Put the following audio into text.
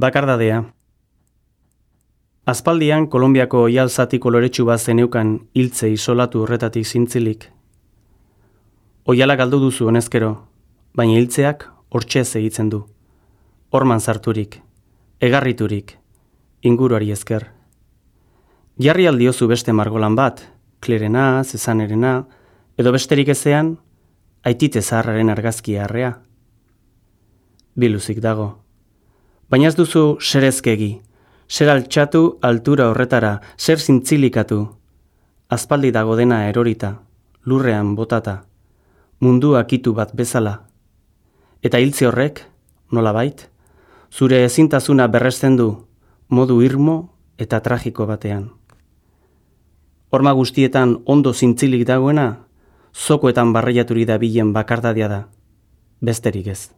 Bakardadea. Aspaldian Kolonbiako oihal zati koloretsu bat zeneukan hiltze isolatu horretatik zintzilik. Oihala galdu duzu honezkero, baina hiltzeak hortxe segitzen du. Horman sarturik, egarriturik, inguruari esker. Jarri aldiozu beste margolan bat, Klerena, Zesanerena, edo besterik ezean, Aitite zaharraren argazkia harrea. Biluzik dago. Baina ez duzu serezkegi, zer altxatu altura horretara, zer zintzilikatu. Aspaldi dago dena erorita, lurrean botata, mundu akitu bat bezala. Eta hiltze horrek, nolabait, zure ezintasuna berresten du, modu irmo eta tragiko batean. Horma guztietan ondo zintzilik dagoena, zokoetan barreiaturi dabilen bakardadia da, besterik ez.